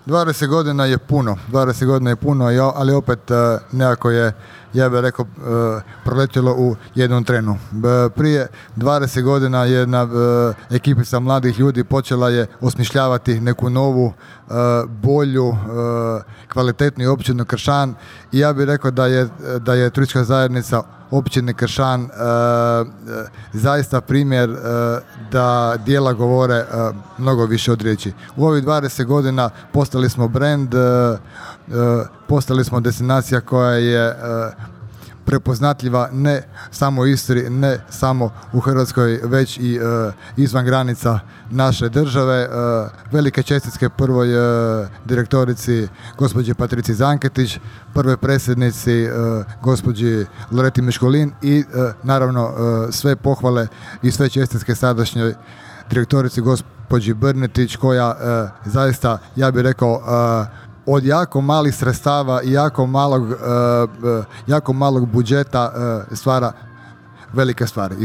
20 godina je puno, 20 godina je puno, ali opet nekako je, ja bih rekao, proletjelo u jednom trenu. Prije 20 godina jedna ekipica mladih ljudi počela je osmišljavati neku novu, bolju, kvalitetniju općinu Kršan i ja bih rekao da je turistička zajednica općine Kršan zaista primjer da djela govore mnogo više od riječi. U ovih 20 godina postali smo brand, postali smo destinacija koja je prepoznatljiva ne samo u Istri, ne samo u Hrvatskoj, već i izvan granica naše države. Velike čestitke prvoj direktorici gospođi Patrici Zanketić, prvoj predsjednici gospođi Loreti Miškolin i naravno sve pohvale i sve čestitke sadašnjoj direktorici gospođi Brnetić koja zaista, ja bih rekao, od jako malih sredstava i jako malog budžeta stvara velike stvari.